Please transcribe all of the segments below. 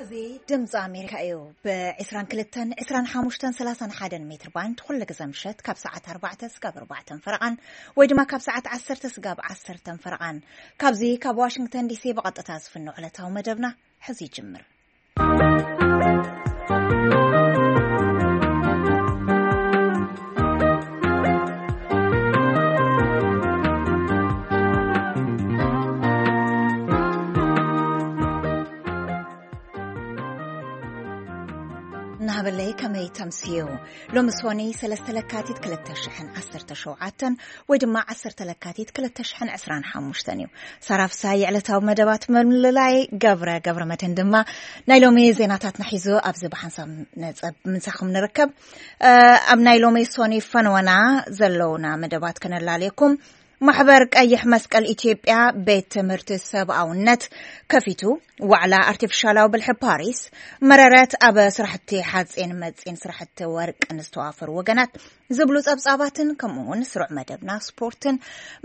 እዚ ድምፂ ኣሜሪካ እዩ። ብ22፣ 25፣ 31 ሜትር ባንድ ኩሉ ግዜ ምሸት ካብ ሰዓት ኣርባዕተ ስጋብ ኣርባዕተን ፈረቓን ወይ ድማ ካብ ሰዓት ዓሰርተ ስጋብ ዓሰርተን ፈረቓን፣ ካብዚ ካብ ዋሽንግተን ዲሲ ብቐጥታ ዝፍኖ ዕለታዊ መደብና ሕዚ ይጅምር። ናበለይ ከመይ ተምስዩ? ሎሚ ሶኒ ሰለስተ ለካቲት ክልተ ሽሕን ዓሰርተ ሸውዓተን ወይ ድማ ዓሰርተ ለካቲት ክልተ ሽሕን ዕስራን ሓሙሽተን እዩ። ሳራፍሳይ ዕለታዊ መደባት ምልላይ ገብረ ገብረ መድህን ድማ ናይ ሎሚ ዜናታትና ሒዙ ኣብዚ ብሓንሳብ ነጸብ ምሳኹም ንርከብ። እ፣ ኣብ ናይ ሎሚ ሶኒ ፈነወና ዘለውና መደባት ከነላልየኩም። ማሕበር ቀይሕ መስቀል ኢትዮጵያ ቤት ትምህርቲ ሰብኣውነት ከፊቱ። ዋዕላ ኣርቲፊሻላዊ ብልሒ ፓሪስ። መረረት ኣብ ስራሕቲ ሓፂን መፂን ስራሕቲ ወርቅን ዝተዋፈሩ ወገናት ዝብሉ ጸብጻባትን ከምኡ እውን ስሩዕ መደብና ስፖርትን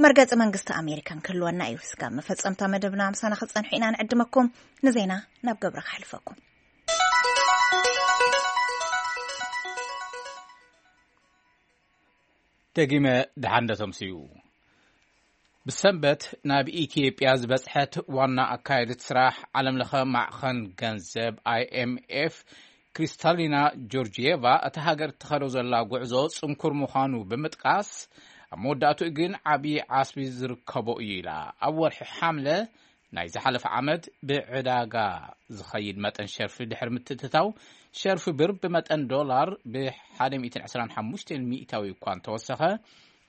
መርገጺ መንግስቲ ኣሜሪካን ክህልወና እዩ። ስጋብ መፈጸምታ መደብና ምሳና ክጸንሑ ኢና ንዕድመኩም። ንዜና ናብ ገብረ ክሕልፈኩም። ደጊመ ደሓን ዶ ተምስዩ። ብሰንበት ናብ ኢትዮጵያ ዝበጽሐት ዋና ኣካየዲት ስራሕ ዓለምለኸ ማዕኸን ገንዘብ ኣይ ኤም ኤፍ ክሪስታሊና ጆርጂየቫ፣ እታ ሃገር እትኸዶ ዘላ ጉዕዞ ጽንኩር ምዃኑ ብምጥቃስ፣ ኣብ መወዳእትኡ ግን ዓብዪ ዓስቢ ዝርከቦ እዩ ኢላ። ኣብ ወርሒ ሓምለ ናይ ዝሓለፈ ዓመት ብዕዳጋ ዝኸይድ መጠን ሸርፊ ድሕሪ ምትእትታው፣ ሸርፊ ብር ብመጠን ዶላር ብ ሓደ ሚእትን ዕስራን ሓሙሽተን ሚእታዊ እኳ እንተወሰኸ፣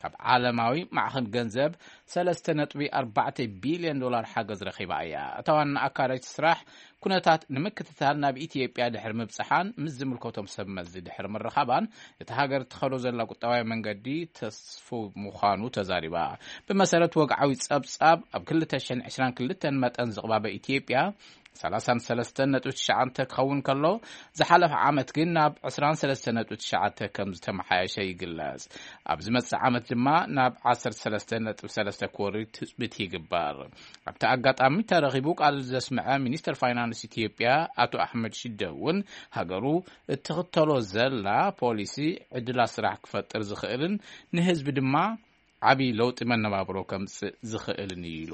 ካብ ዓለማዊ ማዕኸን ገንዘብ ሰለስተ ነጥቢ ኣርባዕተ ቢልዮን ዶላር ሓገዝ ረኺባ እያ። እታ ዋና ኣካዳጅ ስራሕ ኩነታት ንምክትታል ናብ ኢትዮጵያ ድሕሪ ምብጽሓን ምስ ዝምልከቶም ሰብ መዚ ድሕሪ ምርኻባን፣ እታ ሃገር እትኸዶ ዘላ ቁጠባዊ መንገዲ ተስፉ ምዃኑ ተዛሪባ። ብመሰረት ወግዓዊ ጸብጻብ፣ ኣብ ክልተ ሽሕን ዕስራን ክልተን መጠን ዝቕባበ ኢትዮጵያ ሰላሳን ሰለስተን ነጥቢ ትሽዓተ ክኸውን ከሎ፣ ዝሓለፈ ዓመት ግን ናብ ዕስራን ሰለስተን ነጥቢ ትሽዓተ ከም ዝተመሓየሸ ይግለጽ። ኣብ ዝመጽእ ዓመት ድማ ናብ ዓሰርተ ሰለስተ ነጥቢ ሰለስተ ክወርድ ትጽቢት ይግበር። ኣብቲ ኣጋጣሚ ተረኺቡ ቃል ዘስምዐ ሚኒስተር ፋይናንስ ኢትዮጵያ ኣቶ ኣሕመድ ሽደ እውን፣ ሃገሩ እትኽተሎ ዘላ ፖሊሲ ዕድላት ስራሕ ክፈጥር ዝኽእልን ንህዝቢ ድማ ዓቢ ለውጢ መነባብሮ ከምጽእ ዝኽእልን እዩ ኢሉ።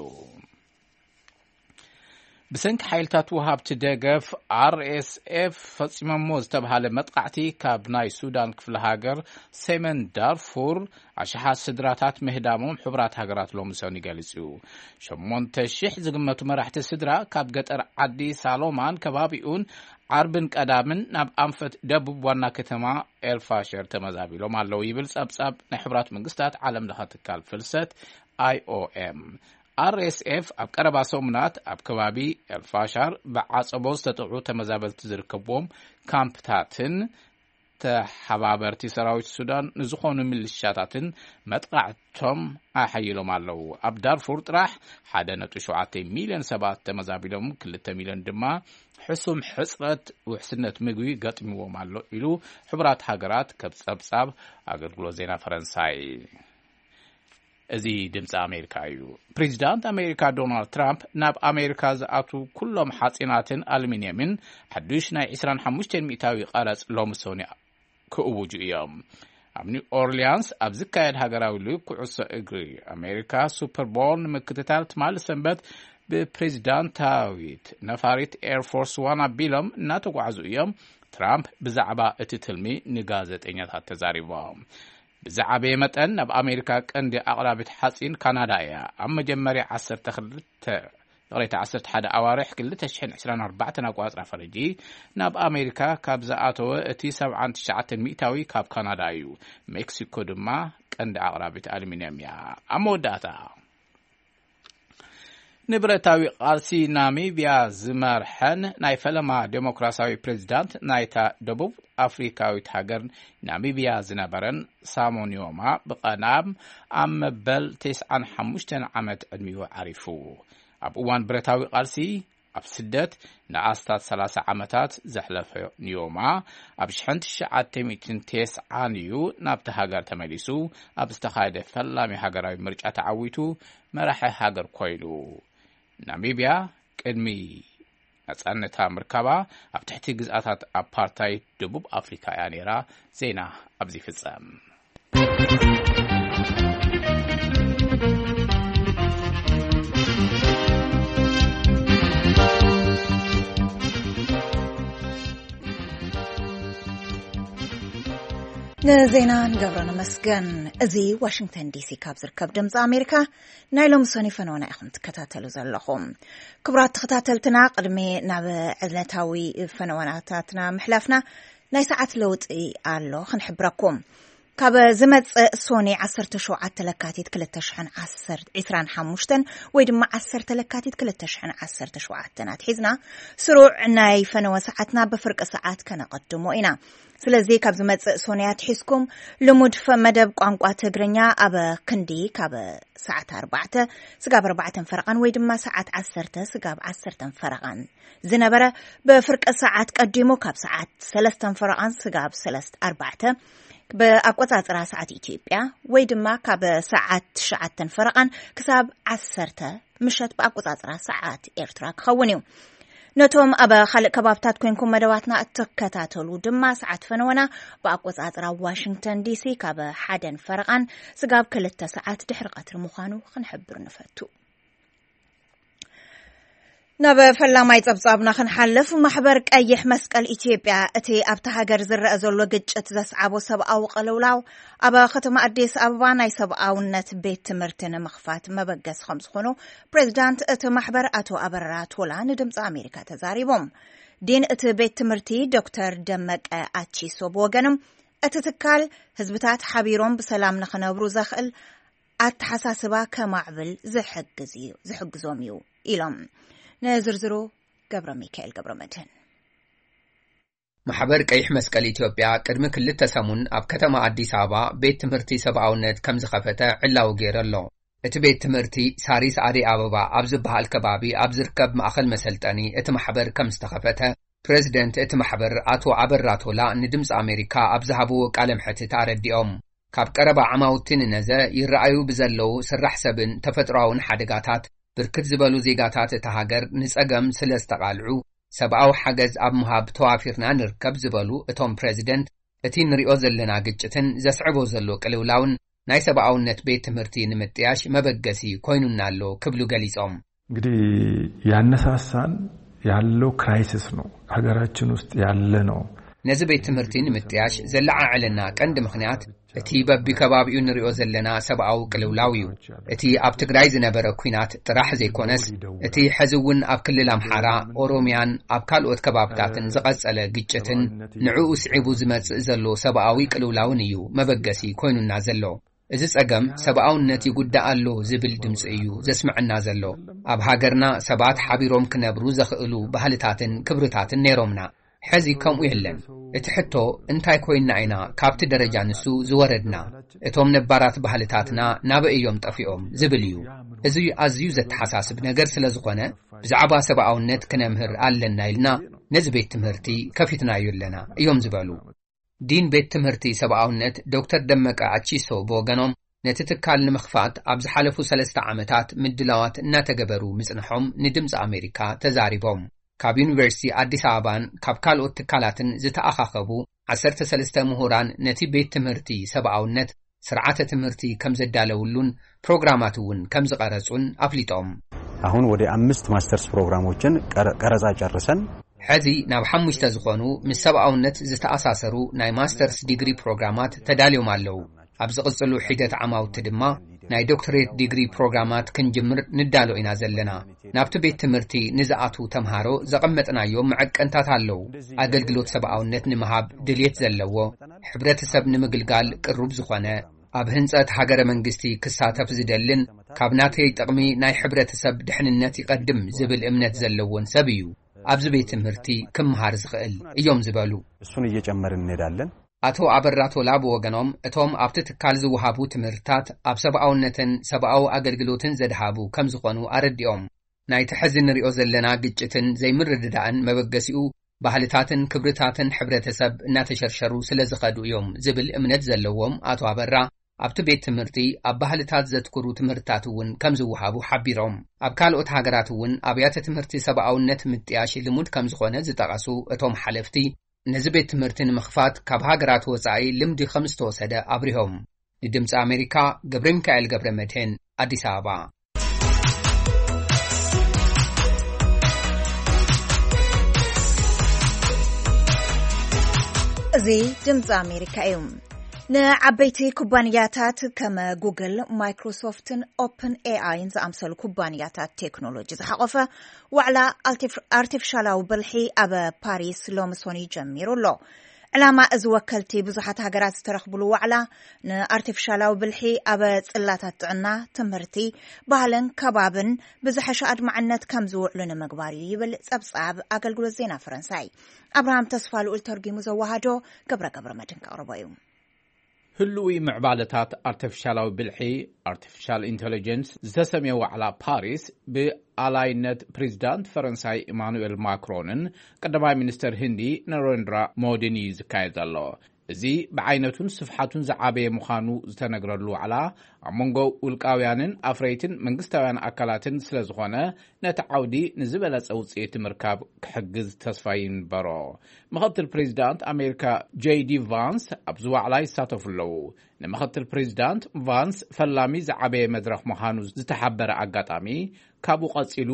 ብሰንኪ ሓይልታት ወሃብቲ ደገፍ ኣር ኤስ ኤፍ ፈጺሞሞ ዝተብሃለ መጥቃዕቲ፣ ካብ ናይ ሱዳን ክፍለ ሃገር ሰሜን ዳርፉር ኣሽሓት ስድራታት ምህዳሞም ሕቡራት ሃገራት ሎሚ ሰኒ ገሊጹ። ሸሞንተ ሽሕ ዝግመቱ መራሕቲ ስድራ ካብ ገጠር ዓዲ ሳሎማን ከባቢኡን ዓርብን ቀዳምን ናብ ኣንፈት ደቡብ ዋና ከተማ ኤልፋሸር ተመዛቢሎም ኣለዉ ይብል ጸብጻብ ናይ ሕቡራት መንግስታት ዓለም ለኸ ትካል ፍልሰት ኣይ ኦ ኤም። ኣር ኤስ ኤፍ ኣብ ቀረባ ሰሙናት ኣብ ከባቢ ኤልፋሻር ብዓጸቦ ዝተጠቕዑ ተመዛበልቲ ዝርከብዎም ካምፕታትን ተሓባበርቲ ሰራዊት ሱዳን ንዝኾኑ ሚሊሻታትን መጥቃዕቶም ኣሓይሎም ኣለዉ። ኣብ ዳርፉር ጥራሕ ሓደ ነጥቢ ሸውዓተ ሚልዮን ሰባት ተመዛቢሎም፣ ክልተ ሚልዮን ድማ ሕሱም ሕጽረት ውሕስነት ምግቢ ገጥምዎም ኣሎ ኢሉ ሕቡራት ሃገራት፣ ከም ጸብጻብ ኣገልግሎት ዜና ፈረንሳይ። እዚ ድምፂ ኣሜሪካ እዩ። ፕሬዚዳንት ኣሜሪካ ዶናልድ ትራምፕ ናብ ኣሜሪካ ዝኣትዉ ኩሎም ሓፂናትን ኣሉሚንየምን ሓዱሽ ናይ ዕስራን ሓሙሽተን ሚእታዊ ቀረፅ ሎሚ ሰኑይ ክእውጁ እዮም። ኣብ ኒው ኦርሊያንስ ኣብ ዝካየድ ሃገራዊ ሊግ ኩዕሶ እግሪ ኣሜሪካ ሱፐር ቦል ንምክትታል ትማሊ ሰንበት ብፕሬዚዳንታዊት ነፋሪት ኤርፎርስ ዋን ኣቢሎም እናተጓዕዙ እዮም። ትራምፕ ብዛዕባ እቲ ትልሚ ንጋዜጠኛታት ተዛሪቦም። ብዝዓበየ መጠን ናብ ኣሜሪካ ቀንዲ ኣቕራቢት ሓፂን ካናዳ እያ። ኣብ መጀመርያ ዓሰርተ ክልተ፣ ይቕሬታ፣ ዓሰርተ ሓደ ኣዋርሕ ክልተ ሽሕን ዕስራን ኣርባዕተን ኣቋፅራ ፈረጂ ናብ ኣሜሪካ ካብ ዝኣተወ እቲ ሰብዓን ትሽዓተን ሚእታዊ ካብ ካናዳ እዩ። ሜክሲኮ ድማ ቀንዲ ኣቕራቢት ኣሉሚንየም እያ። ኣብ መወዳእታ፣ ንብረታዊ ቃልሲ ናሚብያ ዝመርሐን ናይ ፈለማ ዴሞክራሲያዊ ፕሬዚዳንት ናይታ ደቡብ ኣፍሪካዊት ሃገር ናሚብያ ዝነበረን ሳሞኒዮማ ብቐዳም ኣብ መበል ተስዓን ሓሙሽተን ዓመት ዕድሚኡ ዓሪፉ። ኣብ እዋን ብረታዊ ቃልሲ ኣብ ስደት ንኣስታት ሰላሳ ዓመታት ዘሕለፈ ኒዮማ፣ ኣብ ሽሕን ትሽዓተ ሚእትን ተስዓን እዩ ናብቲ ሃገር ተመሊሱ። ኣብ ዝተኻየደ ፈላሚ ሃገራዊ ምርጫ ተዓዊቱ መራሒ ሃገር ኮይኑ። ናሚብያ ቅድሚ ነጻነታ ምርካባ ኣብ ትሕቲ ግዝኣታት ኣፓርታይድ ደቡብ ኣፍሪካ እያ ነይራ። ዜና ኣብዚ ይፍጸም። ንዜና ንገብሮ ነመስገን። እዚ ዋሽንግተን ዲሲ ካብ ዝርከብ ድምፂ ኣሜሪካ ናይ ሎሚ ሰኒ ፈነወና ኢኹም ትከታተሉ ዘለኹም። ክቡራት ተኸታተልትና፣ ቅድሚ ናብ ዕለታዊ ፈነወናታትና ምሕላፍና፣ ናይ ሰዓት ለውጢ ኣሎ ክንሕብረኩም። ካብ ዝመጽእ ሶኒ ዓሰርተ ሸውዓተ ለካቲት ክልተ ሽሕን ዓሰርተ፣ ዕስራን ሓሙሽተን ወይ ድማ ዓሰርተ ለካቲት ክልተ ሽሕን ዓሰርተ ሸውዓተን ኣትሒዝና፣ ስሩዕ ናይ ፈነወ ሰዓትና ብፍርቂ ሰዓት ከነቐድሞ ኢና። ስለዚ ካብ ዝመጽእ ሶኒ ኣትሒዝኩም ልሙድ ፈ-፣ መደብ ቋንቋ ትግርኛ ኣብ ክንዲ ካብ ሰዓት ኣርባዕተ ስጋብ ኣርባዕተን ፈረቓን ወይ ድማ ሰዓት ዓሰርተ ስጋብ ዓሰርተን ፈረቓን ዝነበረ፣ ብፍርቂ ሰዓት ቀዲሙ ካብ ሰዓት ሰለስተን ፈረቓን ስጋብ ሰለስተ ኣርባዕተ ብኣቆጻጽራ ሰዓት ኢትዮጵያ ወይ ድማ ካብ ሰዓት ትሽዓተን ፈረቓን ክሳብ ዓሰርተ ምሸት ብኣቆጻጽራ ሰዓት ኤርትራ ክኸውን እዩ። ነቶም ኣብ ካልእ ከባብታት ኮንኩም መደባትና እትከታተሉ ድማ፣ ሰዓት ፈነወና ብኣቆጻጽራ ዋሽንግተን ዲሲ ካብ ሓደን ፈረቓን ስጋብ ክልተ ሰዓት ድሕሪ ቀትሪ ምዃኑ ክንሕብር ንፈቱ። ናብ ፈላማይ ጸብጻብና ክንሓልፍ፣ ማሕበር ቀይሕ መስቀል ኢትዮጵያ እቲ ኣብታ ሃገር ዝረአ ዘሎ ግጭት ዘስዓቦ ሰብኣዊ ቅልውላው ኣብ ከተማ ኣዲስ ኣበባ ናይ ሰብኣውነት ቤት ትምህርቲ ንምኽፋት መበገሲ ከም ዝኾኑ ፕሬዚዳንት እቲ ማሕበር ኣቶ ኣበራ ቶላ ንድምፂ ኣሜሪካ ተዛሪቦም። ዲን እቲ ቤት ትምህርቲ ዶክተር ደመቀ ኣቺሶ ብወገኖም፣ እቲ ትካል ህዝብታት ሓቢሮም ብሰላም ንኽነብሩ ዘኽእል ኣተሓሳስባ ከማዕብል ዝሕግዝ እዩ፣ ዝሕግዞም እዩ ኢሎም። ንዝርዝሩ ገብረ ሚካኤል ገብረ መድህን። ማሕበር ቀይሕ መስቀል ኢትዮጵያ ቅድሚ ክልተ ሰሙን ኣብ ከተማ ኣዲስ ኣበባ ቤት ትምህርቲ ሰብኣውነት ከም ዝኸፈተ ዕላዊ ገይሩ ኣሎ። እቲ ቤት ትምህርቲ ሳሪስ ኣደይ ኣበባ ኣብ ዝበሃል ከባቢ ኣብ ዝርከብ ማእኸል መሰልጠኒ እቲ ማሕበር ከም ዝተኸፈተ ፕሬዚደንት እቲ ማሕበር ኣቶ ኣበራ ቶላ ንድምፂ ኣሜሪካ ኣብ ዝሃብዎ ቃለ መሕትት ኣረዲኦም። ካብ ቀረባ ዓማውቲ ንነዘ ይረኣዩ ብዘለዉ ስራሕ ሰብን ተፈጥሮኣውን ሓደጋታት፣ ብርክት ዝበሉ ዜጋታት እታ ሃገር ንጸገም ስለ ዝተቓልዑ፣ ሰብኣዊ ሓገዝ ኣብ ምሃብ ተዋፊርና ንርከብ ዝበሉ እቶም ፕሬዚደንት፣ እቲ ንሪኦ ዘለና ግጭትን ዘስዕቦ ዘሎ ቅልውላውን ናይ ሰብኣውነት ቤት ትምህርቲ ንምጥያሽ መበገሲ ኮይኑና ኣሎ ክብሉ ገሊጾም። እንግዲህ ያነሳሳን ያለው ክራይሲስ ነው፣ ሀገራችን ውስጥ ያለ ነው። ነዚ ቤት ትምህርቲ ንምጥያሽ ዘለዓዕለና ቀንዲ ምኽንያት እቲ በቢከባቢኡ ንሪኦ ዘለና ሰብኣዊ ቅልውላው እዩ። እቲ ኣብ ትግራይ ዝነበረ ኲናት ጥራሕ ዘይኮነስ፣ እቲ ሕዚ እውን ኣብ ክልል ኣምሓራ፣ ኦሮሚያን ኣብ ካልኦት ከባብታትን ዝቐጸለ ግጭትን ንዕኡ ስዒቡ ዝመጽእ ዘሎ ሰብኣዊ ቅልውላውን እዩ መበገሲ ኮይኑና ዘሎ። እዚ ጸገም ሰብኣውነት ይጉዳእ ኣሎ ዝብል ድምጺ እዩ ዘስምዐና ዘሎ። ኣብ ሃገርና ሰባት ሓቢሮም ክነብሩ ዘኽእሉ ባህልታትን ክብርታትን ነይሮምና። ሕዚ ከምኡ የለን። እቲ ሕቶ፣ እንታይ ኮይንና ኢና ካብቲ ደረጃ ንሱ ዝወረድና? እቶም ነባራት ባህልታትና ናበይ እዮም ጠፊኦም ዝብል እዩ። እዚ ኣዝዩ ዘተሓሳስብ ነገር ስለ ዝኾነ፣ ብዛዕባ ሰብኣውነት ክነምህር ኣለና ኢልና ነዚ ቤት ትምህርቲ ከፊትናዮ ኣለና እዮም ዝበሉ። ዲን ቤት ትምህርቲ ሰብኣውነት ዶክተር ደመቀ ኣቺሶ ብወገኖም፣ ነቲ ትካል ንምኽፋት ኣብ ዝሓለፉ ሰለስተ ዓመታት ምድላዋት እናተገበሩ ምጽንሖም ንድምፂ ኣሜሪካ ተዛሪቦም። ካብ ዩኒቨርሲቲ ኣዲስ ኣበባን ካብ ካልኦት ትካላትን ዝተኣኻኸቡ ዓሰርተ ሰለስተ ምሁራን ነቲ ቤት ትምህርቲ ሰብኣውነት ስርዓተ ትምህርቲ ከም ዘዳለውሉን ፕሮግራማት እውን ከም ዝቐረጹን ኣፍሊጦም። አሁን ወደ አምስት ማስተርስ ፕሮግራሞችን ቀረ-፣ ቀረጻ ጨርሰን። ሕዚ ናብ ሓሙሽተ ዝኾኑ ምስ ሰብኣውነት ዝተኣሳሰሩ ናይ ማስተርስ ዲግሪ ፕሮግራማት ተዳልዮም ኣለዉ። ኣብ ዝቕጽሉ ሒደት ዓማውቲ ድማ ናይ ዶክተሬት ዲግሪ ፕሮግራማት ክንጅምር ንዳሎ ኢና ዘለና። ናብቲ ቤት ትምህርቲ ንዝኣትዉ ተምሃሮ ዘቐመጥናዮም መዐቀንታት ኣለዉ። ኣገልግሎት ሰብኣውነት ንምሃብ ድልየት ዘለዎ፣ ሕብረተሰብ ንምግልጋል ቅሩብ ዝኾነ፣ ኣብ ህንጸት ሃገረ መንግስቲ ክሳተፍ ዝደልን ካብ ናተይ ጥቕሚ ናይ ሕብረተሰብ ድሕንነት ይቐድም ዝብል እምነት ዘለዎን ሰብ እዩ ኣብዚ ቤት ትምህርቲ ክምሃር ዝኽእል እዮም ዝበሉ። እሱን እየጨመርን እንሄዳለን። ኣቶ ኣበራ ቶላ ብወገኖም፣ እቶም ኣብቲ ትካል ዝወሃቡ ትምህርትታት ኣብ ሰብኣውነትን ሰብኣዊ ኣገልግሎትን ዘድሃቡ ከም ዝኾኑ ኣረዲኦም። ናይቲ ሕዚ ንሪኦ ዘለና ግጭትን ዘይምርድዳእን መበገሲኡ ባህልታትን ክብርታትን ሕብረተሰብ እናተሸርሸሩ ስለ ዝኸዱ እዮም ዝብል እምነት ዘለዎም ኣቶ ኣበራ፣ ኣብቲ ቤት ትምህርቲ ኣብ ባህልታት ዘትኩሩ ትምህርትታት እውን ከም ዝወሃቡ ሓቢሮም። ኣብ ካልኦት ሃገራት እውን ኣብያተ ትምህርቲ ሰብኣውነት ምጥያሽ ልሙድ ከም ዝኾነ ዝጠቐሱ እቶም ሓለፍቲ፣ ነዚ ቤት ትምህርቲ ንምኽፋት ካብ ሃገራት ወጻኢ ልምዲ ከም ዝተወሰደ ኣብሪሆም። ንድምፂ ኣሜሪካ፣ ገብረ ሚካኤል ገብረ መድህን፣ ኣዲስ ኣበባ። እዚ ድምፂ ኣሜሪካ እዩ። ንዓበይቲ ኩባንያታት ከም ጉግል፣ ማይክሮሶፍትን ኦፕን ኤኣይን ዝኣምሰሉ ኩባንያታት ቴክኖሎጂ ዝሓቖፈ ዋዕላ ኣልቲፍ-፣ ኣርቲፊሻላዊ ብልሒ ኣብ ፓሪስ ሎሚ ሶኒ ጀሚሩ ኣሎ። ዕላማ እዚ ወከልቲ ብዙሓት ሃገራት ዝተረኽብሉ ዋዕላ ንኣርቲፊሻላዊ ብልሒ ኣብ ጽላታት ጥዕና፣ ትምህርቲ፣ ባህልን ከባብን ብዝሐሸ ኣድማዕነት ከም ዝውዕሉ ንምግባር እዩ ይብል ጸብጻብ ኣገልግሎት ዜና ፈረንሳይ። ኣብርሃም ተስፋ ልኡል ተርጊሙ ዘወሃዶ ገብረ ገብረ መድን ከቕርቦ እዩ። ህሉዊ ምዕባለታት ኣርቲፊሻላዊ ብልሒ፣ ኣርቲፊሻል ኢንተለጀንስ፣ ዝተሰምየ ዋዕላ ፓሪስ ብኣላይነት ፕሬዚዳንት ፈረንሳይ ኢማኑኤል ማክሮንን ቀዳማይ ሚኒስተር ህንዲ ነሬንድራ ሞዲን እዩ ዝካየድ ዘሎ። እዚ ብዓይነቱን ስፍሓቱን ዝዓበየ ምዃኑ ዝተነግረሉ ዋዕላ፣ ኣብ መንጎ ውልቃውያንን ኣፍረይትን መንግስታውያን ኣካላትን ስለ ዝኾነ፣ ነቲ ዓውዲ ንዝበለጸ ውጽኢት ምርካብ ክሕግዝ ተስፋ ይንበሮ። ምኽትል ፕሬዚዳንት ኣሜሪካ ጄይ ዲ ቫንስ ኣብዚ ዋዕላ ይሳተፉ ኣለዉ። ንምኽትል ፕሬዚዳንት ቫንስ ፈላሚ ዝዓበየ መድረኽ ምዃኑ ዝተሓበረ ኣጋጣሚ፣ ካብኡ ቀጺሉ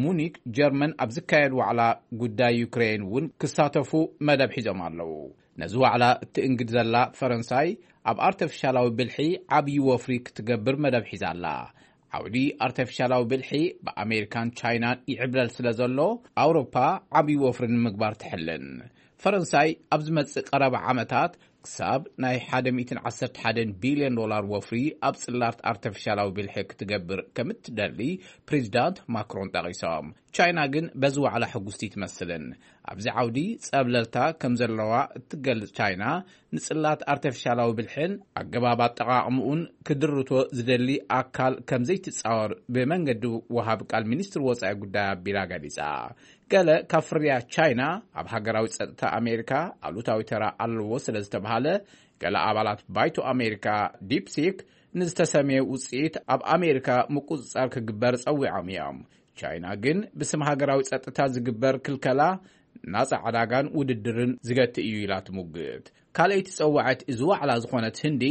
ሙኒክ ጀርመን ኣብ ዝካየድ ዋዕላ ጉዳይ ዩክሬን እውን ክሳተፉ መደብ ሒዞም ኣለዉ። ነዚ ዋዕላ እትእንግድ ዘላ ፈረንሳይ፣ ኣብ ኣርተፊሻላዊ ብልሒ ዓብዪ ወፍሪ ክትገብር መደብ ሒዛ ኣላ። ዓውዲ ኣርተፊሻላዊ ብልሒ ብኣሜሪካን ቻይናን ይዕብለል ስለ ዘሎ፣ ኣውሮፓ ዓብዪ ወፍሪ ንምግባር ትሕልን። ፈረንሳይ ኣብ ዝመጽእ ቀረባ ዓመታት ክሳብ ናይ ሓደ ሚእትን ዓሰርተ ሓደን ቢልዮን ዶላር ወፍሪ ኣብ ጽላት ኣርተፊሻላዊ ብልሒ ክትገብር ከም እትደሊ ፕሬዚዳንት ማክሮን ጠቒሶም። ቻይና ግን በዚ ዋዕላ ሕጉስቲ ትመስልን። ኣብዚ ዓውዲ ጸብለልታ ከም ዘለዋ እትገልጽ ቻይና፣ ንጽላት ኣርተፊሻላዊ ብልሕን ኣገባብ ኣጠቓቕምኡን ክድርቶ ዝደሊ ኣካል ከም ዘይትጻወር ብመንገዲ ወሃብ ቃል ሚኒስትሪ ወጻኢ ጉዳይ ኣቢላ ገሊጻ። ገለ ካብ ፍርያት ቻይና ኣብ ሃገራዊ ጸጥታ ኣሜሪካ ኣሉታዊ ተራ ኣለዎ ስለ ዝተባሃለ፣ ገለ ኣባላት ባይቶ ኣሜሪካ ዲፕሲክ ንዝተሰምየ ውጽኢት ኣብ ኣሜሪካ ምቁጽጻር ክግበር ጸዊዖም እዮም። ቻይና ግን ብስም ሃገራዊ ጸጥታ ዝግበር ክልከላ ናጻ ዕዳጋን ውድድርን ዝገትእ እዩ ኢላ ትሙግት። ካልኣይቲ ጸዋዒት እዚ ዋዕላ ዝኾነት ህንዲ፣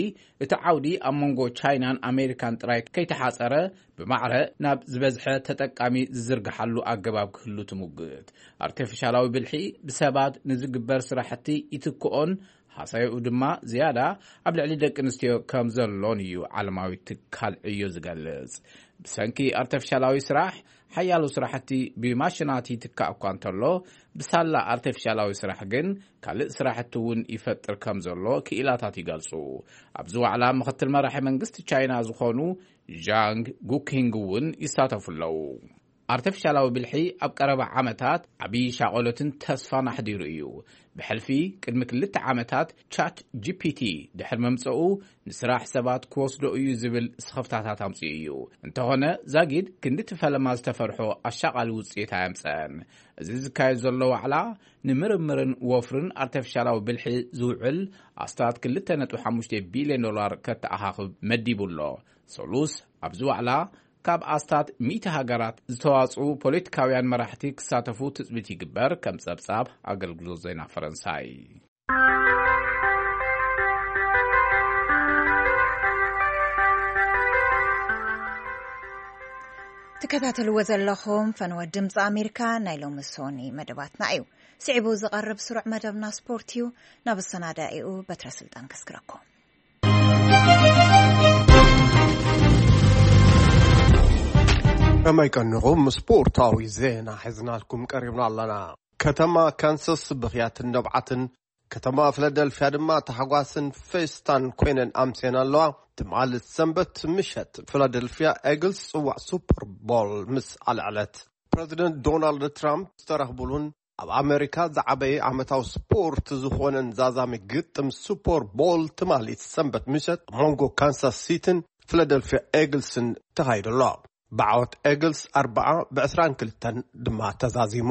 እቲ ዓውዲ ኣብ መንጎ ቻይናን ኣሜሪካን ጥራይ ከይተሓጸረ፣ ብማዕረ ናብ ዝበዝሐ ተጠቃሚ ዝዝርግሓሉ ኣገባብ ክህሉ ትሙግት። ኣርቲፊሻላዊ ብልሒ ብሰባት ንዝግበር ስራሕቲ ይትክኦን ሃሳይኡ ድማ ዝያዳ ኣብ ልዕሊ ደቂ ኣንስትዮ ከም ዘሎን እዩ ዓለማዊ ትካል ዕዮ ዝገልጽ። ብሰንኪ ኣርተፊሻላዊ ስራሕ፣ ሓያሎ ስራሕቲ ብማሽናት ይትካእ እኳ እንተሎ፣ ብሳላ ኣርተፊሻላዊ ስራሕ ግን ካልእ ስራሕቲ እውን ይፈጥር ከም ዘሎ ክኢላታት ይገልጹ። ኣብዚ ዋዕላ ምኽትል መራሒ መንግስቲ ቻይና ዝኾኑ ዣንግ ጉኪንግ እውን ይሳተፉ ኣለዉ። ኣርተፊሻላዊ ብልሒ ኣብ ቀረባ ዓመታት ዓብዪ ሻቐሎትን ተስፋን ኣሕዲሩ እዩ። ብሕልፊ ቅድሚ ክልተ ዓመታት ቻት ጂ ፒ ቲ ድሕሪ መምጽኡ፣ ንስራሕ ሰባት ክወስዶ እዩ ዝብል ስኽፍታታት ኣምጺኡ እዩ። እንተኾነ፣ ዛጊድ ክንዲ እቲ ፈለማ ዝተፈርሖ ኣሻቓሊ ውጽኢት ኣየምጸአን። እዚ ዝካየድ ዘሎ ዋዕላ፣ ንምርምርን ወፍርን ኣርተፊሻላዊ ብልሒ ዝውዕል ኣስታት ክልተ ነጥቢ ሓሙሽተ ቢልዮን ዶላር ከተኣኻኽብ መዲቡ ኣሎ። ሰሉስ ኣብዚ ዋዕላ፣ ካብ ኣስታት ሚእቲ ሃገራት ዝተዋጽኡ ፖለቲካውያን መራሕቲ ክሳተፉ ትጽቢት ይግበር፣ ከም ጸብጻብ ኣገልግሎት ዜና ፈረንሳይ። ትከታተልዎ ዘለኹም ፈነወ ድምፂ ኣሜሪካ ናይ ሎሚ ሶኒ መደባትና እዩ። ስዒቡ ዝቐርብ ስሩዕ መደብና ስፖርት እዩ። ናብ ኣሰናዳኢኡ በትረ ስልጣን ከስግረኩም። ከመይ ቀኒኹም? ስፖርታዊ ዜና ሒዝናልኩም ቀሪብና ኣለና። ከተማ ካንሳስ ብኽያትን ነብዓትን፣ ከተማ ፊላደልፊያ ድማ ታሕጓስን ፌስታን ኮይነን ኣምስየን ኣለዋ። ትማሊ ሰንበት ምሸት ፊላደልፊያ ኤግልስ ጽዋዕ ሱፐር ቦል ምስ ኣልዐለት፣ ፕረዚደንት ዶናልድ ትራምፕ ዝተረኽቡሉን ኣብ ኣሜሪካ ዝዓበየ ዓመታዊ ስፖርት ዝኾነን ዛዛሚ ግጥም ሱፐር ቦል ትማሊ ሰንበት ምሸት ኣብ መንጎ ካንሳስ ሲቲን ፊላደልፊያ ኤግልስን ተኻይዱ ኣሎ። ብዓወት ኤግልስ ኣርብዓ ብ22 ድማ ተዛዚሙ።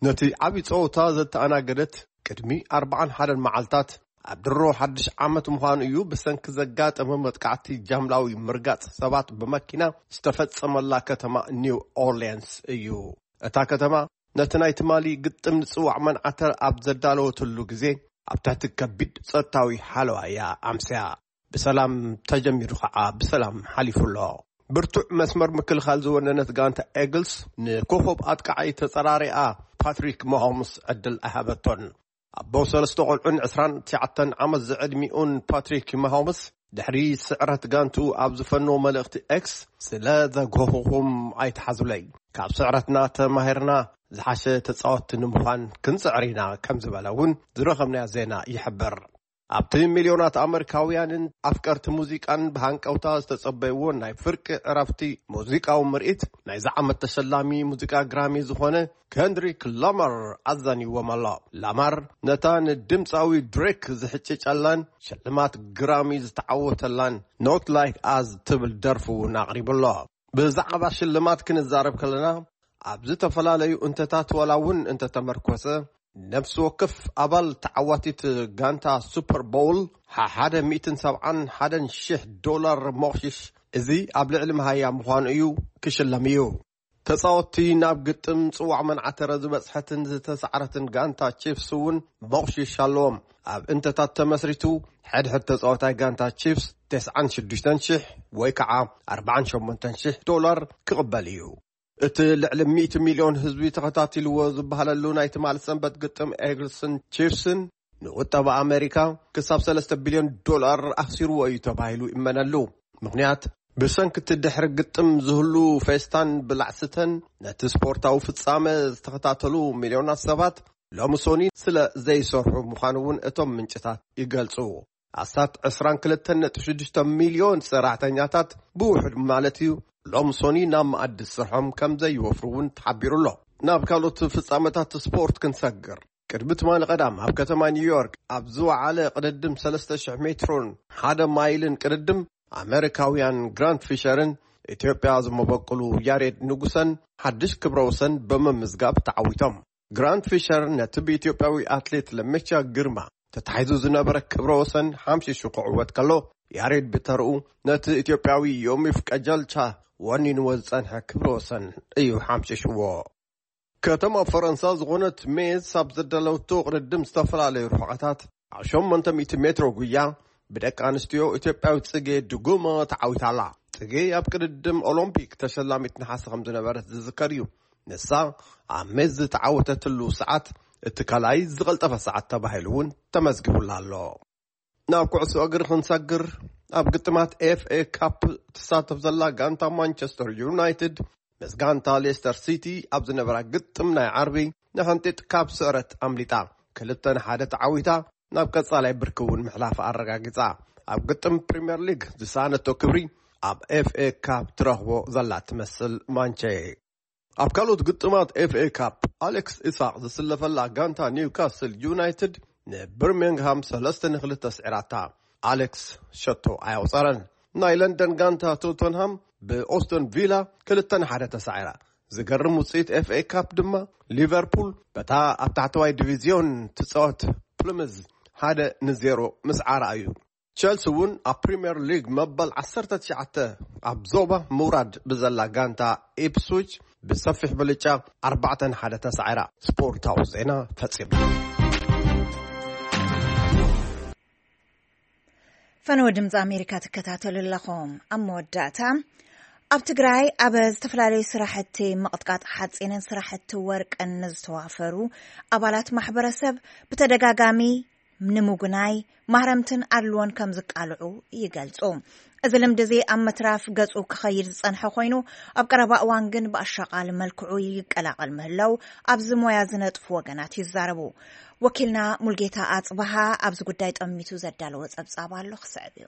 ነቲ ዓቢ ጸወታ ዘተኣናገደት ቅድሚ ኣርብዓን ሓደን መዓልታት ኣብ ድሮ ሓድሽ ዓመት ምዃኑ እዩ፣ ብሰንኪ ዘጋጠመ መጥቃዕቲ ጃምላዊ ምርጋጽ ሰባት ብመኪና ዝተፈጸመላ ከተማ ኒው ኦርሊያንስ እዩ። እታ ከተማ ነቲ ናይ ትማሊ ግጥም ንጽዋዕ መንዓተር ኣብ ዘዳለወትሉ ግዜ ኣብ ትሕቲ ከቢድ ጸጥታዊ ሓለዋ እያ ኣምስያ። ብሰላም ተጀሚሩ ኸዓ ብሰላም ሓሊፉ ኣሎ። ብርቱዕ መስመር ምክልኻል ዝወነነት ጋንታ ኤግልስ ንኮኸብ ኣጥቃዓይ ተጸራሪኣ ፓትሪክ ማሆምስ ዕድል ኣይሃበቶን። ኣቦ ሰለስተ ቆልዑን ዕስራን ትሽዓተን ዓመት ዝዕድሚኡን ፓትሪክ ማሆምስ ድሕሪ ስዕረት ጋንቱ ኣብ ዝፈነዎ መልእኽቲ ኤክስ፣ ስለ ዘጎህኹም ኣይትሓዙለይ፣ ካብ ስዕረትና ተማሂርና ዝሓሸ ተጻወትቲ ንምዃን ክንጽዕር ኢና ከም ዝበለ እውን ዝረኸብናዮ ዜና ይሕብር። ኣብቲ ሚልዮናት ኣመሪካውያንን ኣፍቀርቲ ሙዚቃን ብሃንቀውታ ዝተጸበይዎ ናይ ፍርቂ ዕረፍቲ ሙዚቃዊ ምርኢት፣ ናይዚ ዓመት ተሸላሚ ሙዚቃ ግራሚ ዝኾነ ከንድሪክ ላማር ኣዛንይዎም ኣሎ። ላማር ነታ ንድምጻዊ ድሬክ ዝሕጭጨላን ሽልማት ግራሚ ዝተዓወተላን ኖት ላይክ ኣዝ ትብል ደርፉ እውን ኣቕሪቡ ኣሎ። ብዛዕባ ሽልማት ክንዛረብ ከለና፣ ኣብ ዝተፈላለዩ እንተታት ዋላ እውን እንተተመርኮሰ፣ ነፍሲ ወከፍ ኣባል ተዓዋቲት ጋንታ ሱፐር ቦውል ሓደ ሚእትን ሰብዓን ሓደን ሽሕ ዶላር ሞቕሽሽ፣ እዚ ኣብ ልዕሊ መሃያ ምዃኑ እዩ፣ ክሽለም እዩ። ተጻወትቲ ናብ ግጥም ጽዋዕ መንዓተረ ዝበጽሐትን ዝተሳዕረትን ጋንታ ቺፍስ እውን ሞቕሽሽ ኣለዎም። ኣብ እንተታት ተመስሪቱ፣ ሕድሕድ ተጻዋታይ ጋንታ ቺፍስ ተስዓን ሽዱሽተን ሽሕ ወይ ከዓ ኣርባዓን ሸሞንተን ሽሕ ዶላር ክቕበል እዩ። እቲ ልዕሊ ሚእቲ ሚልዮን ህዝቢ ተኸታቲልዎ ዝበሃለሉ ናይ ትማሊ ሰንበት ግጥም ኤግልስን ቺፍስን፣ ንቁጠባ ኣሜሪካ ክሳብ ሰለስተ ቢልዮን ዶላር ኣኽሲርዎ እዩ ተባሂሉ ይእመነሉ። ምኽንያት፣ ብሰንኪ እቲ ድሕሪ ግጥም ዝህሉ ፌስታን ብላዕስተን፣ ነቲ ስፖርታዊ ፍጻመ ዝተኸታተሉ ሚልዮናት ሰባት ሎሚ ሶኒ ስለ ዘይሰርሑ ምዃኑ እውን እቶም ምንጭታት ይገልጹ። ኣስታት ዕስራን ክልተን ነጥቢ ሽዱሽተ ሚልዮን ሰራሕተኛታት ብውሑድ ማለት እዩ፣ ሎም ሶኒ ናብ መኣዲ ስርሖም ከም ዘይወፍሩ እውን ተሓቢሩ ኣሎ። ናብ ካልኦት ፍጻመታት ስፖርት ክንሰግር፣ ቅድሚ ትማሊ ቀዳም ኣብ ከተማ ኒውዮርክ ኣብ ዝወዓለ ቅድድም ሰለስተ ሽሕ ሜትሮን ሓደ ማይልን ቅድድም፣ ኣመሪካውያን ግራንት ፊሸርን ኢትዮጵያ ዝመበቁሉ ያሬድ ንጉሰን ሓድሽ ክብረ ወሰን ብምምዝጋብ ተዓዊቶም። ግራንት ፊሸር ነቲ ብኢትዮጵያዊ ኣትሌት ለሜቻ ግርማ ተታሒዙ ዝነበረ ክብረ ወሰን ሓምሺሹ ክዕወት ከሎ፣ ያሬድ ብተርኡ ነቲ ኢትዮጵያዊ ዮሚፍ ቀጀልቻ ወኒንዎ ዝጸንሐ ክብረ ወሰን እዩ ሓምሺሽዎ። ከተማ ፈረንሳ ዝኾነት ሜዝ ኣብ ዘዳለወቶ ቅድድም ዝተፈላለዩ ርሑቐታት ኣብ ሸሞንተ ሚእቲ ሜትሮ ጉያ ብደቂ ኣንስትዮ ኢትዮጵያዊት ጽጌ ድጉማ ተዓዊታ ኣላ። ጽጌ ኣብ ቅድድም ኦሎምፒክ ተሸላሚት ነሓሰ ከም ዝነበረት ዝዝከር እዩ። ንሳ ኣብ ሜዝ ዝተዓወተትሉ ሰዓት እቲ ካልኣይ ዝቐልጠፈ ሰዓት ተባሂሉ እውን ተመዝጊቡላ ኣሎ። ናብ ኩዕሶ እግሪ ክንሰግር፣ ኣብ ግጥማት ኤፍ ኤ ካፕ ትሳተፍ ዘላ ጋንታ ማንቸስተር ዩናይትድ ምስ ጋንታ ሌስተር ሲቲ ኣብ ዝነበራ ግጥም ናይ ዓርቢ ንሕንጢጥ ካብ ስዕረት ኣምሊጣ ክልተ ንሓደ ተዓዊታ ናብ ቀጻላይ ብርኪ እውን ምሕላፍ ኣረጋጊጻ። ኣብ ግጥም ፕሪምየር ሊግ ዝሰኣነቶ ክብሪ ኣብ ኤፍ ኤ ካፕ ትረኽቦ ዘላ ትመስል ማንቸ። ኣብ ካልኦት ግጥማት ኤፍ ኤ ካፕ ኣሌክስ ኢሳቕ ዝስለፈላ ጋንታ ኒውካስል ዩናይትድ ንብርሚንግሃም ሰለስተ ንክልተ ስዒራታ። ኣሌክስ ሸቶ ኣያውጸረን። ናይ ለንደን ጋንታ ቶተንሃም ብኦስተን ቪላ ክልተ ንሓደ ተሳዒራ። ዝገርም ውጽኢት ኤፍ ኤ ካፕ ድማ ሊቨርፑል በታ ኣብ ታሕተዋይ ዲቪዝዮን ትጻወት ፕልምዝ ሓደ ንዜሮ ምስዓራ እዩ። ቸልሲ እውን ኣብ ፕሪምየር ሊግ መበል ዓሰርተ ትሽዓተ ኣብ ዞባ ምውራድ ብዘላ ጋንታ ኢፕስዊች ብሰፊሕ ብልጫ ኣርባዕተ ንሓደ ተሳዒራ። ስፖርታዊ ዜና ፈጺሙ። ፈነወ ድምፂ ኣሜሪካ ትከታተሉ ኣለኹም። ኣብ መወዳእታ፣ ኣብ ትግራይ ኣብ ዝተፈላለዩ ስራሕቲ ምቕጥቃጥ ሓፂንን ስራሕቲ ወርቅን ንዝተዋፈሩ ኣባላት ማሕበረሰብ ብተደጋጋሚ ንምጉናይ ማህረምትን ኣድልዎን ከም ዝቃልዑ ይገልጹ። እዚ ልምዲ እዚ ኣብ ምትራፍ ገጹ ክኸይድ ዝጸንሐ ኮይኑ፣ ኣብ ቀረባ እዋን ግን ብኣሻቓሊ መልክዑ ይቀላቐል ምህላው ኣብዚ ሞያ ዝነጥፉ ወገናት ይዛረቡ። ወኪልና ሙልጌታ ኣጽበሃ ኣብዚ ጉዳይ ጠሚቱ ዘዳለዎ ጸብጻብ ኣሎ፣ ክስዕብ እዩ።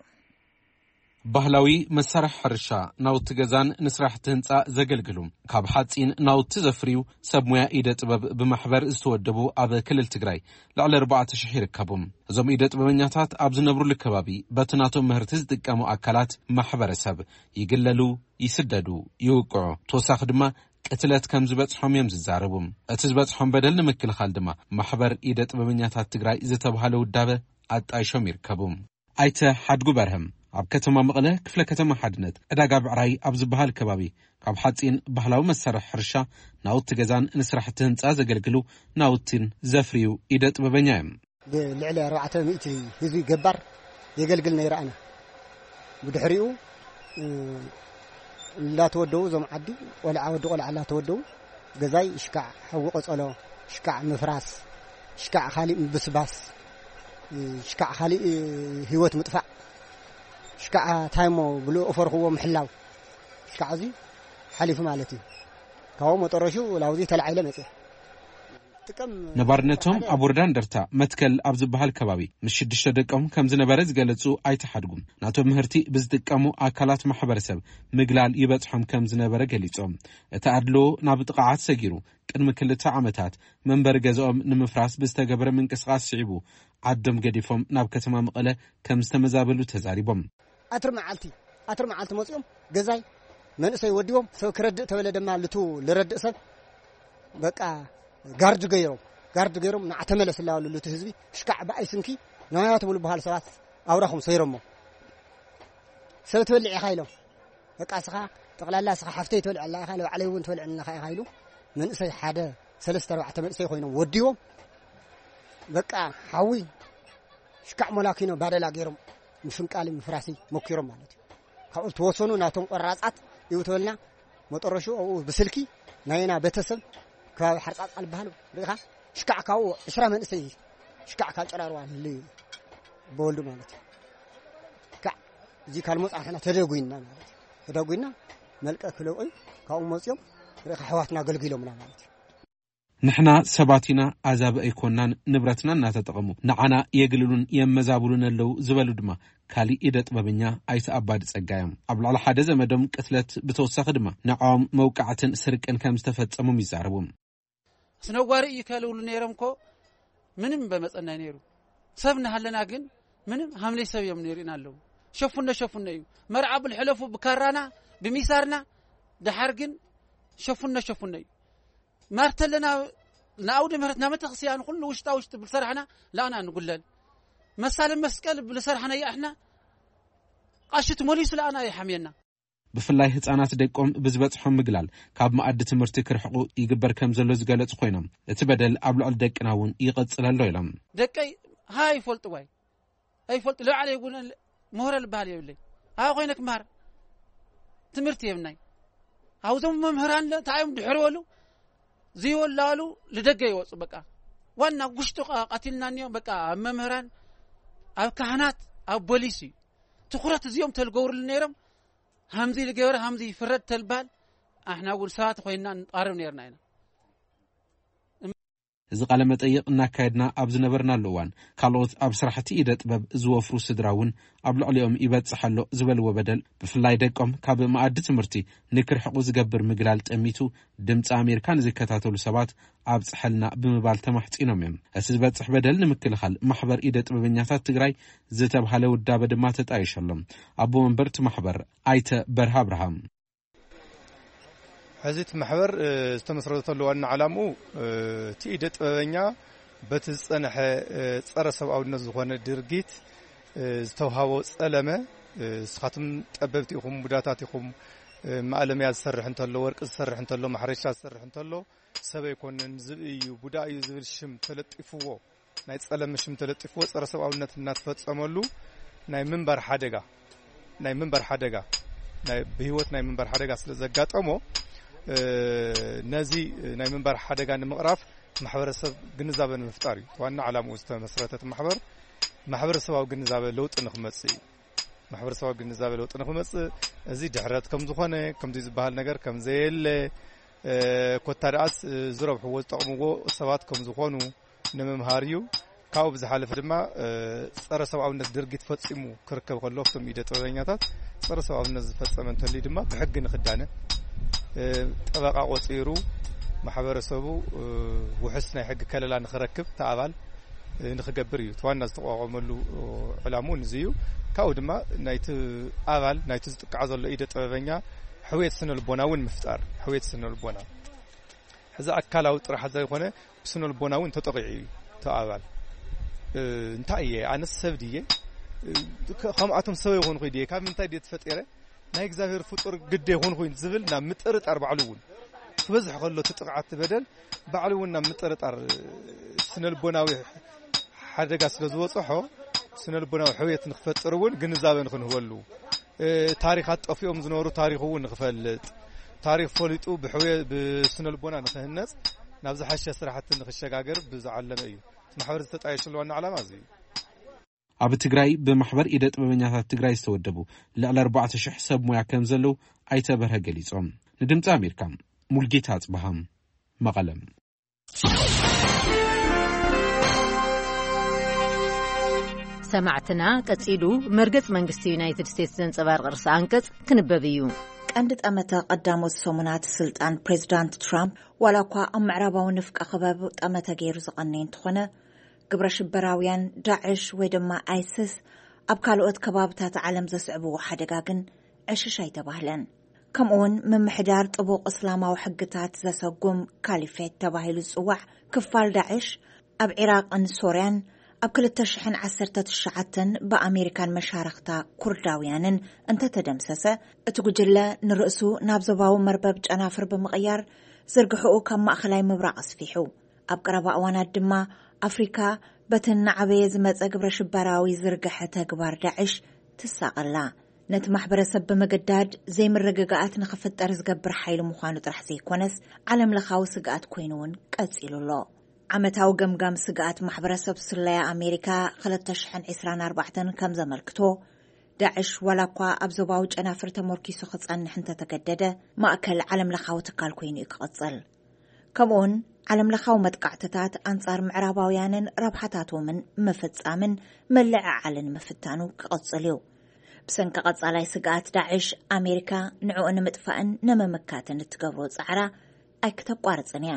ባህላዊ መሳርሒ ሕርሻ፣ ናውቲ ገዛን ንስራሕቲ ህንፃ ዘገልግሉ፣ ካብ ሓፂን ናውቲ ዘፍርዩ ሰብ ሞያ ኢደ ጥበብ ብማሕበር ዝተወደቡ ኣብ ክልል ትግራይ ልዕሊ ኣርባዕተ ሽሕ ይርከቡ። እዞም ኢደ ጥበበኛታት ኣብ ዝነብሩሉ ከባቢ በቲ ናቶም ምህርቲ ዝጥቀሙ ኣካላት ማሕበረሰብ ይግለሉ፣ ይስደዱ፣ ይውቅዑ። ተወሳኺ ድማ ቅትለት ከም ዝበፅሖም እዮም ዝዛረቡ። እቲ ዝበፅሖም በደል ንምክልኻል ድማ ማሕበር ኢደ ጥበበኛታት ትግራይ ዝተባሃለ ውዳበ ኣጣይሾም ይርከቡ። ኣይተ ሓድጉ በርሀም ኣብ ከተማ መቐለ ክፍለ ከተማ ሓድነት ዕዳጋ ብዕራይ ኣብ ዝበሃል ከባቢ ካብ ሓፂን ባህላዊ መሳርሒ ሕርሻ ናውቲ ገዛን ንስራሕቲ ህንፃ ዘገልግሉ ናውቲን ዘፍርዩ ኢደ ጥበበኛ እዮም። ብልዕሊ ኣርባዕተ ሚእቲ ህዝቢ ገባር የገልግል ነይረ ኣነ። ብድሕሪኡ፣ እ፣ እንዳተወደቡ እዞም ዓዲ ቆልዓ ወዲ ቆልዓ እንዳተወደቡ ገዛይ ሽካዕ ሓዊ ቀጸሎ፣ ሽካዕ ምፍራስ፣ ሽካዕ ካሊእ ምብስባስ፣ እ፣ ሽካዕ ካሊእ፣ እ፣ ህይወት ምጥፋእ፣ ሽካዕ ታይሞ ብልኡ ፈርኽዎ ምሕላው፣ ሽካዕ እዚ ሓሊፉ ማለት እዩ። ካብኡ መጠረሹ ላውዚ ተላዒለ መጽየ። ጥቅም ነባርነቶም ኣብ ወረዳ እንደርታ መትከል ኣብ ዝበሃል ከባቢ ምስ ሽዱሽተ ደቆም ከም ዝነበረ ዝገለጹ ኣይተሓድጉም። ናቶም ምህርቲ ብዝጥቀሙ ኣካላት ማሕበረሰብ ምግላል ይበጽሖም ከም ዝነበረ ገሊጾም። እቲ ኣድልዎ ናብ ጥቕዓት ሰጊሩ ቅድሚ ክልተ ዓመታት መንበሪ ገዛኦም ንምፍራስ ብዝተገበረ ምንቅስቓስ ስዒቡ ዓዶም ገዲፎም ናብ ከተማ መቐለ ከም ዝተመዛበሉ ተዛሪቦም። ኣትሪ መዓልቲ፣ ኣትሪ መዓልቲ መጺኦም ገዛይ መንእሰይ ወዲቦም፣ ሰብ ክረድእ ተበለ ድማ ልቱ ልረድእ ሰብ በቃ ጋርድ ገይሮም፣ ጋርድ ገይሮም ንዓ ተመለስ እናበሉ ልቱ ህዝቢ ሽካዕ ብኣይ ስንኪ ናያ ትብሉ በሃሉ ሰባት ኣውራኹም ሰይሮሞ። ሰብ ትበልዕ ኢኻ ኢሎም። በቃ እስኻ ጠቕላላ እስኻ ሓፍተይ ትበልዕ ኣላ ኢኻ፣ ንባዕለይ እውን ትበልዕ ኣለኻ ኢኻ ኢሉ መንእሰይ ሓደ ሰለስተ ኣርባዕተ መንእሰይ ኮይኖም ወዲቦም በቃ ሓዊ ሽካዕ ሞላኪኖ ባደላ ገይሮም ምፍንቃሊ ምፍራሲ ሞኪሮም ማለት እዩ። ካብኡ ተወሰኑ ናቶም ቆራጻት እዩ ተበልና መጠረሹ ኣብኡ ብስልኪ ናይና ቤተሰብ ከባቢ ሓርጻጻ ዝበሃል ርኢኻ ሽካዕ ካብኡ ዕስራ መንእሰይ ሽካዕ ካብ ጭራርዋ ንልዩ በወልዱ ማለት እዩ። ካዕ እዚ ካልሞጻ ንሕና ተደጉይና ማለት እዩ። ተደጉይና መልቀ ክለውዑ ካብኡ መጽዮም ርኢኻ ኣሕዋትና ኣገልጊሎምና ማለት እዩ። ንሕና ሰባት ኢና፣ ኣዛብእ ኣይኮናን፣ ንብረትና እናተጠቐሙ ንዓና የግልሉን የመዛብሉን ኣለዉ ዝበሉ ድማ ካሊእ ኢደ ጥበበኛ ኣይተ ኣባዲ ጸጋ እዮም። ኣብ ልዕሊ ሓደ ዘመዶም ቅትለት ብተወሳኺ ድማ ንዕኦም መውቃዕትን ስርቅን ከም ዝተፈጸሞም ይዛረቡ። ኣስነዋሪ እዩ ከልብሉ ነይሮም እኮ ምንም በመጸናይ ነይሩ። ሰብ እናሃለና ግን ምንም ሃምለይ ሰብ እዮም ነይሩና ኣለዉ። ሸፉነ ሸፉነ እዩ። መርዓ ብልሕለፉ ብካራና ብሚሳርና ደሓር ግን ሸፉነ ሸፉነ እዩ። ማርተለና ንኣውደ ምህረት ናብ ቤተክርስትያን ኩሉ ውሽጣ ውሽጢ ብልሰራሕና ላና ንጉለል። መሳለ መስቀል ብልሰራሕና ይኣሕና ቃሽት ሞሊሱ ላና ይሓምየና። ብፍላይ ህጻናት ደቆም ብዝበጽሖም ምግላል ካብ መኣዲ ትምህርቲ ክርሕቑ ይግበር ከም ዘሎ ዝገለጹ ኮይኖም፣ እቲ በደል ኣብ ልዕሊ ደቅና እውን ይቐጽል ኣሎ ኢሎም። ደቀይ ሃ ይፈልጡ ዋይ ኣይፈልጡ ለባዕለ ይጉነ ምህረ ልበሃል የብለይ። ኣብ ኮይነ ክመሃር ትምህርቲ የብናይ። ኣብዞም መምህራን ለ እንታይ እዮም ድሕሪ በሉ ዘይወላሉ ልደገ ይወፁ። በቃ ዋና ጉሽጡ ቃ-፣ ቀቲልና እኒኦ። በቃ ኣብ መምህራን፣ ኣብ ካህናት፣ ኣብ ቦሊስ እዩ ትኩረት እዚኦም ተልገብርሉ ነይሮም። ሃምዚ ልገበረ ሃምዚ ይፍረድ ተልባል ኣሕና እውን ሰባት ኮይንና ንቃረብ ነይርና ኢና። እዚ ቃለ መጠይቕ እናካየድና ኣብ ዝነበርናሉ እዋን፣ ካልኦት ኣብ ስራሕቲ ኢደ ጥበብ ዝወፍሩ ስድራ እውን ኣብ ልዕሊኦም ይበጽሕ ኣሎ ዝበልዎ በደል፣ ብፍላይ ደቆም ካብ መኣዲ ትምህርቲ ንክርሕቑ ዝገብር ምግላል ጠሚቱ፣ ድምፂ ኣሜሪካ ንዝከታተሉ ሰባት ኣብጽሐልና ብምባል ተማሕጺኖም እዮም። እቲ ዝበጽሕ በደል ንምክልኻል ማሕበር ኢደ ጥበበኛታት ትግራይ ዝተብሃለ ውዳበ ድማ ተጣይሸሎም። ኣቦ መንበር እቲ ማሕበር ኣይተ በርሃ ኣብርሃም። ሕዚ እቲ ማሕበር፣ እ፣ ዝተመስረተሉ ዋና ዓላምኡ፣ እ፣ እቲ ኢደ ጥበበኛ በቲ ዝጸንሐ፣ እ፣ ጸረ ሰብኣውነት ዝኾነ ድርጊት፣ እ፣ ዝተውሃቦ ጸለመ፣ እ፣ ንስኻትኩም ጠበብቲ ኢኹም፣ ቡዳታት ኢኹም፣ እ፣ ማእለምያ ዝሰርሕ እንተሎ፣ ወርቂ ዝሰርሕ እንተሎ፣ ማሕረሻ ዝሰርሕ እንተሎ፣ ሰብ ኣይኮነን፣ ዝብኢ እዩ፣ ቡዳ እዩ ዝብል ሽም ተለጢፍዎ፣ ናይ ጸለመ ሽም ተለጢፍዎ ጸረ ሰብኣውነት እናተፈጸመሉ ናይ ምንባር ሓደጋ፣ ናይ ምንባር ሓደጋ፣ ናይ ብህይወት ናይ ምንባር ሓደጋ ስለ ዘጋጠሞ፣ እ፣ ነዚ ናይ ምንባር ሓደጋ ንምቕራፍ ማሕበረሰብ ግንዛበ ንምፍጣር እዩ ዋና ዓላምኡ ዝተመስረተ እቲ ማሕበር። ማሕበረሰባዊ ግንዛበ ለውጢ ንክመጽእ እዩ። ማሕበረሰባዊ ግንዛበ ለውጢ ንክመጽእ እዚ ድሕረት ከም ዝኾነ፣ ከምዚ ዝበሃል ነገር ከም ዘየለ፣ እ፣ ኮታ ደኣስ፣ እ፣ ዝረብሕዎ ዝጠቕምዎ ሰባት ከም ዝኾኑ ንምምሃር እዩ። ካብኡ ብዝሓለፈ ድማ፣ እ፣ ጸረ ሰብኣውነት ድርጊት ፈጺሙ ክርከብ ከሎ፣ ኣብቶም ኢደ ጥበበኛታት ጸረ ሰብኣውነት ዝፈጸመ እንተልዩ ድማ ብሕጊ ንኽዳነ፣ እ፣ ጠበቓ ቆጺሩ ማሕበረሰቡ፣ እ፣ ውሑስ ናይ ሕጊ ከለላ ንኽረክብ እቲ ኣባል፣ እ፣ ንኽገብር እዩ። እቲ ዋና ዝተቋቋመሉ፣ እ፣ ዕላማ እውን እዚ እዩ። ካብኡ ድማ ናይቲ ኣባል፣ ናይቲ ዝጥቃዕ ዘሎ ኢደ ጥበበኛ ሕውየት ስነ ልቦና እውን ምፍጣር፣ ሕውየት ስነ ልቦና። ሕዚ ኣካላዊ ጥራሕ ዘይኮነ ብስነ ልቦና እውን ተጠቂዑ እዩ እቲ ኣባል። እ፣ እንታይ እየ? ኣነስ ሰብ ድየ? እ፣ ከ-፣ ከምኣቶም ሰብ ይኾንኩ ድየ? ካብ ምንታይ ድየ ተፈጢረ? ናይ እግዚኣብሔር ፍጡር ግደ ይኾንኩ ዝብል ናብ ምጥርጣር ባዕሉ እውን ክበዝሕ ከሎ እቲ ጥቕዓት በደል ባዕሉ እውን ናብ ምጥርጣር፣ እ፣ ስነ ልቦናዊ ሓደጋ ስለ ዝበጽሖ ስነ ልቦናዊ ሕውየት ንክፈጥር እውን ግንዛበ ንክንህበሉ፣ እ፣ ታሪኻት ጠፊኦም ዝነበሩ ታሪኹ እውን ንክፈልጥ፣ ታሪኽ ፈሊጡ ብሕውየ-፣ ብስነ ልቦና ንክህነጽ ናብ ዝሓሸ ስራሕቲ ንክሸጋገር ብዝዓለመ እዩ። እቲ ማሕበር ዝተጣየሸሉ ዋና ዓላማ እዚ እዩ። ኣብ ትግራይ ብማሕበር ኢደ ጥበበኛታት ትግራይ ዝተወደቡ ልዕሊ ኣርባዕተ ሽሕ ሰብ ሞያ ከም ዘለዉ ኣይተ በርሀ ገሊጾም። ንድምፂ ኣሜሪካ ሙልጌታ ኣጽብሃም መቐለም። ሰማዕትና፣ ቀጺሉ መርገጽ መንግስቲ ዩናይትድ ስቴትስ ዘንጸባርቕ ርእሰ ኣንቀጽ ክንበብ እዩ። ቀንዲ ጠመተ ቀዳሞት ሰሙናት ስልጣን ፕሬዚዳንት ትራምፕ፣ ዋላ እኳ ኣብ ምዕራባዊ ንፍቀ ክበብ ጠመተ ገይሩ ዝቐነየ እንተኾነ፣ ግብረ ሽበራውያን ዳዕሽ ወይ ድማ ኣይስስ ኣብ ካልኦት ከባብታት ዓለም ዘስዕብዎ ሓደጋ ግን ዕሽሽ ኣይተባህለን። ከምኡውን ምምሕዳር ጥቡቕ እስላማዊ ሕግታት ዘሰጉም ካሊፌት ተባሂሉ ዝጽዋዕ ክፋል ዳዕሽ ኣብ ዒራቕን ሶርያን ኣብ ክልተ ሽሕን ዓሰርተ ትሽዓተን ብኣሜሪካን መሻርኽታ ኩርዳውያንን እንተተደምሰሰ፣ እቲ ጉጅለ ንርእሱ ናብ ዞባዊ መርበብ ጨናፍር ብምቕያር ዝርግሕኡ ካብ ማእኸላይ ምብራቕ ኣስፊሑ። ኣብ ቀረባ እዋናት ድማ ኣፍሪካ በቲ እናዓበየ ዝመጸ ግብረ ሽበራዊ ዝርግሐ ተግባር ዳዕሽ ትሳቐላ። ነቲ ማሕበረሰብ ብምግዳድ ዘይምርግጋኣት ንኽፍጠር ዝገብር ሓይሊ ምዃኑ ጥራሕ ዘይኮነስ፣ ዓለም ለኻዊ ስግኣት ኮይኑ እውን ቀጺሉ ኣሎ። ዓመታዊ ገምጋም ስግኣት ማሕበረሰብ ስለያ ኣሜሪካ ክልተ ሽሕን ዕስራን ኣርባዕተን ከም ዘመልክቶ፣ ዳዕሽ ዋላ እኳ ኣብ ዞባዊ ጨናፍር ተመርኪሱ ክጸንሕ እንተተገደደ፣ ማእከል ዓለም ለኻዊ ትካል ኮይኑ እዩ ክቕጽል። ከምኡውን ዓለም ለኻዊ መጥቃዕትታት ኣንጻር ምዕራባውያንን ረብሓታቶምን ምፍጻምን ምልዕዓልን ምፍታኑ ክቕጽል እዩ። ብሰንኪ ቀጻላይ ስግኣት ዳዕሽ፣ ኣሜሪካ ንዕኡ ንምጥፋእን ንምምካትን እትገብሮ ጻዕራ ኣይክተቋርጽን እያ።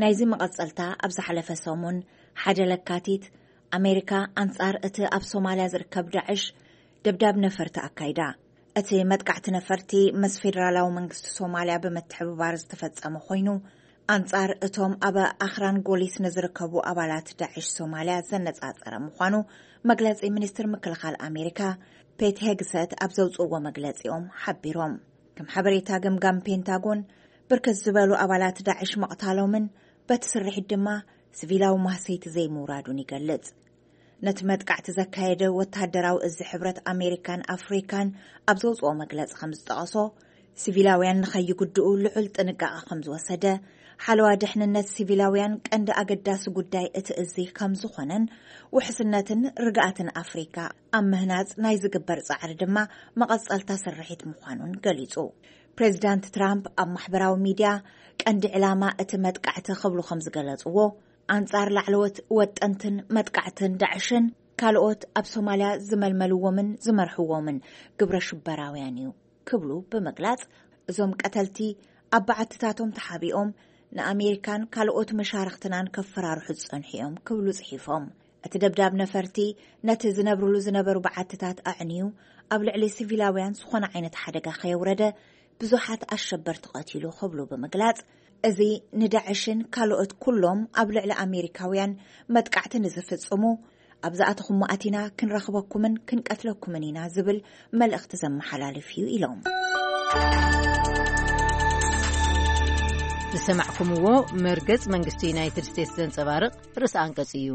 ናይዚ መቐጸልታ፣ ኣብ ዝሓለፈ ሰሙን ሓደ ለካቲት፣ ኣሜሪካ ኣንጻር እቲ ኣብ ሶማልያ ዝርከብ ዳዕሽ ደብዳብ ነፈርቲ ኣካይዳ። እቲ መጥቃዕቲ ነፈርቲ ምስ ፌደራላዊ መንግስቲ ሶማልያ ብምትሕብባር ዝተፈጸመ ኮይኑ፣ ኣንጻር እቶም ኣብ ኣኽራን ጎሊስ ንዝርከቡ ኣባላት ዳዕሽ ሶማልያ ዘነጻጸረ ምዃኑ መግለጺ ሚኒስትር ምክልኻል ኣሜሪካ ፔት ሄግሰት ኣብ ዘውጽእዎ መግለጺኦም ሓቢሮም። ከም ሓበሬታ ገምጋም ፔንታጎን፣ ብርክት ዝበሉ ኣባላት ዳዕሽ ምቕታሎምን በቲ ስርሒት ድማ ሲቪላዊ ማህሰይቲ ዘይምውራዱን ይገልጽ። ነቲ መጥቃዕቲ ዘካየደ ወተሃደራዊ እዚ ሕብረት ኣሜሪካን ኣፍሪካን ኣብ ዘውጽኦ መግለጺ ከም ዝጠቐሶ፣ ሲቪላውያን ንኸይጉድኡ ልዑል ጥንቃቐ ከም ዝወሰደ፣ ሓለዋ ድሕንነት ሲቪላውያን ቀንዲ ኣገዳሲ ጉዳይ እቲ እዚ ከም ዝኾነን፣ ውሕስነትን ርግኣትን ኣፍሪካ ኣብ ምህናጽ ናይ ዝግበር ጻዕሪ ድማ መቐጸልታ ስርሒት ምዃኑን ገሊጹ። ፕሬዚዳንት ትራምፕ ኣብ ማሕበራዊ ሚድያ፣ ቀንዲ ዕላማ እቲ መጥቃዕቲ ክብሉ ከም ዝገለጽዎ፣ ኣንጻር ላዕለዎት ወጠንትን መጥቃዕትን ዳዕሽን ካልኦት ኣብ ሶማልያ ዝመልመልዎምን ዝመርሕዎምን ግብረ ሽበራውያን እዩ ክብሉ ብምግላጽ፣ እዞም ቀተልቲ ኣብ በዓትታቶም ተሓቢኦም ንኣሜሪካን ካልኦት መሻርኽትናን ከፈራርሑ ዝጸንሑ እዮም ክብሉ ጽሒፎም። እቲ ደብዳብ ነፈርቲ ነቲ ዝነብርሉ ዝነበሩ በዓትታት ኣዕንዩ፣ ኣብ ልዕሊ ሲቪላውያን ዝኾነ ዓይነት ሓደጋ ከየውረደ፣ ብዙሓት ኣሸበርቲ ቀቲሉ ክብሉ ብምግላጽ፣ እዚ ንዳዕሽን ካልኦት ኩሎም ኣብ ልዕሊ ኣሜሪካውያን መጥቃዕቲ ንዝፍጽሙ፣ ኣብ ዝኣተኹሞ ኣቲና ክንረኽበኩምን ክንቀትለኩምን ኢና ዝብል መልእኽቲ ዘመሓላልፍ እዩ ኢሎም። ዝሰማዕኩምዎ መርገጽ መንግስቲ ዩናይትድ ስቴትስ ዘንጸባርቕ ርእሰ ኣንቀጽ እዩ።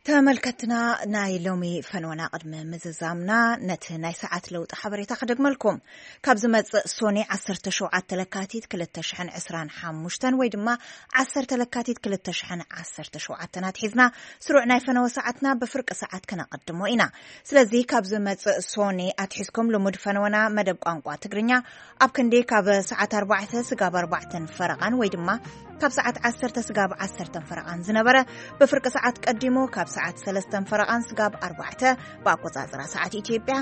ተመልከትና፣ ናይ ሎሚ ፈነወና ቅድሚ ምዝዛምና፣ ነቲ ናይ ሰዓት ለውጢ ሓበሬታ ክደግመልኩም። ካብ ዝመጽእ ሶኒ ዓሰርተ ሸውዓተ ለካቲት ክልተ ሽሕን ዕስራን ሓሙሽተን ወይ ድማ ዓሰርተ ለካቲት ክልተ ሽሕን ዓሰርተ ሸውዓተን ኣትሒዝና፣ ስሩዕ ናይ ፈነወ ሰዓትና ብፍርቂ ሰዓት ከነቐድሞ ኢና። ስለዚ ካብ ዝመጽእ ሶኒ ኣትሒዝኩም ልሙድ ፈነወና መደብ ቋንቋ ትግርኛ ኣብ ክንዲ ካብ ሰዓት ኣርባዕተ ስጋብ ኣርባዕተን ፈረቓን ወይ ድማ ካብ ሰዓት ዓሰርተ ስጋብ ዓሰርተን ፈረቓን ዝነበረ፣ ብፍርቂ ሰዓት ቀዲሙ ካብ ሰዓት ሰለስተን ፈረቓን ስጋብ ኣርባዕተ ብኣቆጻጽራ ሰዓት ኢትዮጵያ፣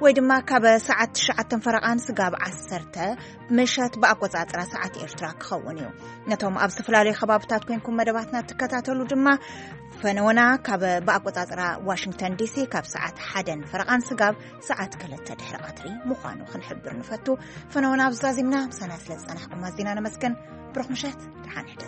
ወይ ድማ ካብ ሰዓት ትሽዓተን ፈረቓን ስጋብ ዓሰርተ ምሸት ብኣቆጻጽራ ሰዓት ኤርትራ ክኸውን እዩ። ነቶም ኣብ ዝተፈላለዩ ከባብታት ኮንኩም መደባትና ትከታተሉ ድማ፣ ፈነወና ካብ ብኣቆጻጽራ ዋሽንግተን ዲሲ ካብ ሰዓት ሓደን ፈረቓን ስጋብ ሰዓት ክልተ ድሕሪ ቀትሪ ምዃኑ ክንሕብር ንፈቱ። ፈነወና ኣብ ዛዚምና ምሳና ስለ ዝጸናሕኩም ኣዚና ነመስግን። ብሩኽ ምሸት፣ ደሓን ሕደሩ።